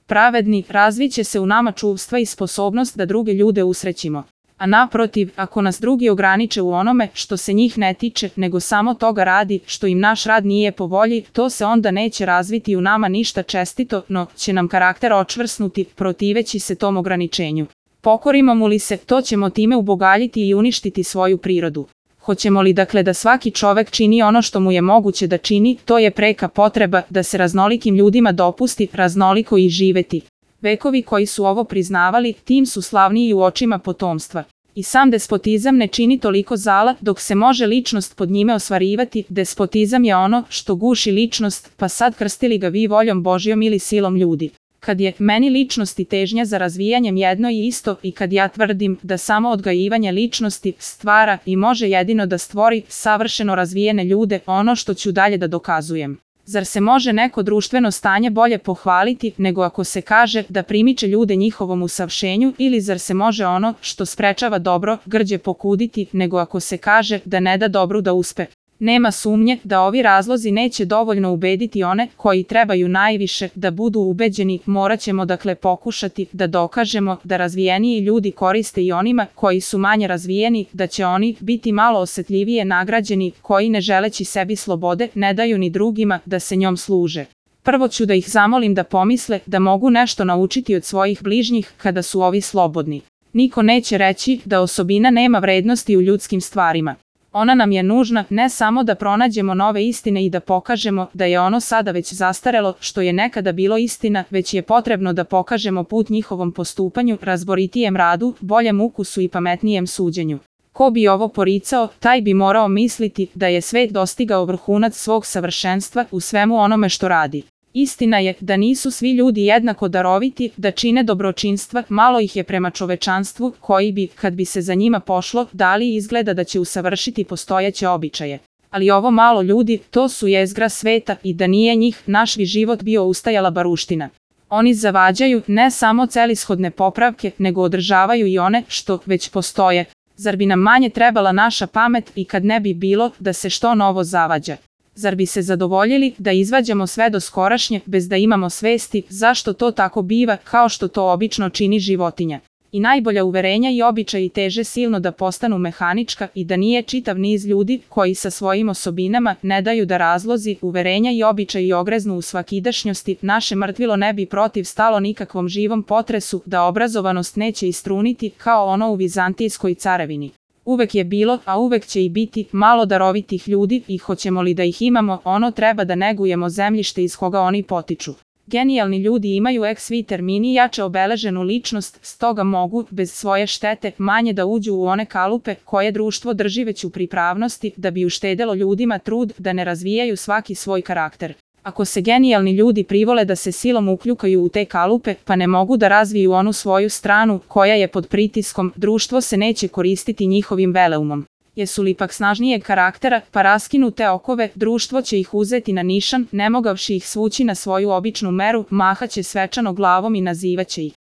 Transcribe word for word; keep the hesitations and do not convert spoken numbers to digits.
pravedni, razviće se u nama čuvstva i sposobnost da druge ljude usrećimo. A naprotiv, ako nas drugi ograniče u onome što se njih ne tiče, nego samo toga radi što im naš rad nije po volji, to se onda neće razviti u nama ništa čestito, no će nam karakter očvrsnuti, protiveći se tom ograničenju. Pokorimo mu li se, to ćemo time ubogaljiti i uništiti svoju prirodu. Hoćemo li dakle da svaki čovek čini ono što mu je moguće da čini, to je preka potreba da se raznolikim ljudima dopusti raznoliko i živeti. Vekovi koji su ovo priznavali, tim su slavniji u očima potomstva. I sam despotizam ne čini toliko zala dok se može ličnost pod njime osvarivati. Despotizam je ono što guši ličnost, pa sad krstili ga vi voljom Božjom ili silom ljudi. Kad je meni ličnost i težnja za razvijanjem jedno i isto i kad ja tvrdim da samo odgajivanje ličnosti stvara i može jedino da stvori savršeno razvijene ljude, ono što ću dalje da dokazujem. Zar se može neko društveno stanje bolje pohvaliti nego ako se kaže da primiče ljude njihovom usavršenju, ili zar se može ono što sprečava dobro grđe pokuditi nego ako se kaže da ne da dobru da uspe? Nema sumnje da ovi razlozi neće dovoljno ubediti one koji trebaju najviše da budu ubeđeni. Morat ćemo dakle pokušati da dokažemo da razvijeniji ljudi koriste i onima koji su manje razvijeni, da će oni biti malo osetljivije nagrađeni, koji ne želeći sebi slobode ne daju ni drugima da se njom služe. Prvo ću da ih zamolim da pomisle da mogu nešto naučiti od svojih bližnjih kada su ovi slobodni. Niko neće reći da osobina nema vrednosti u ljudskim stvarima. Ona nam je nužna ne samo da pronađemo nove istine i da pokažemo da je ono sada već zastarelo što je nekada bilo istina, već je potrebno da pokažemo put njihovom postupanju, razboritijem radu, boljem ukusu i pametnijem suđenju. Ko bi ovo poricao, taj bi morao misliti da je svet dostigao vrhunac svog savršenstva u svemu onome što radi. Istina je da nisu svi ljudi jednako daroviti, da čine dobročinstva, malo ih je prema čovečanstvu, koji bi, kad bi se za njima pošlo, dali izgleda da će usavršiti postojeće običaje. Ali ovo malo ljudi, to su jezgra sveta i da nije njih, naš bi život bio ustajala baruština. Oni zavađaju ne samo celishodne popravke, nego održavaju i one što već postoje. Zar bi nam manje trebala naša pamet i kad ne bi bilo da se što novo zavađa? Zar bi se zadovoljili da izvađamo sve do skorašnje bez da imamo svesti zašto to tako biva kao što to obično čini životinja? I najbolja uverenja i običaji teže silno da postanu mehanička i da nije čitav niz ljudi koji sa svojim osobinama ne daju da razlozi, uverenja i običaji ogreznu u svakidašnjosti, naše mrtvilo ne bi protiv stalo nikakvom živom potresu da obrazovanost neće istruniti kao ono u Vizantijskoj carevini. Uvek je bilo, a uvek će i biti, malo darovitih ljudi i hoćemo li da ih imamo, ono treba da negujemo zemljište iz koga oni potiču. Genijalni ljudi imaju ex vi termini jače obeleženu ličnost, stoga mogu, bez svoje štete, manje da uđu u one kalupe koje društvo drži već u pripravnosti da bi uštedelo ljudima trud da ne razvijaju svaki svoj karakter. Ako se genijalni ljudi privole da se silom ukljukaju u te kalupe, pa ne mogu da razviju onu svoju stranu koja je pod pritiskom, društvo se neće koristiti njihovim veleumom. Jesu li pak snažnijeg karaktera, pa raskinu te okove, društvo će ih uzeti na nišan, ne mogavši ih svući na svoju običnu meru, mahaće svečano glavom i nazivaće ih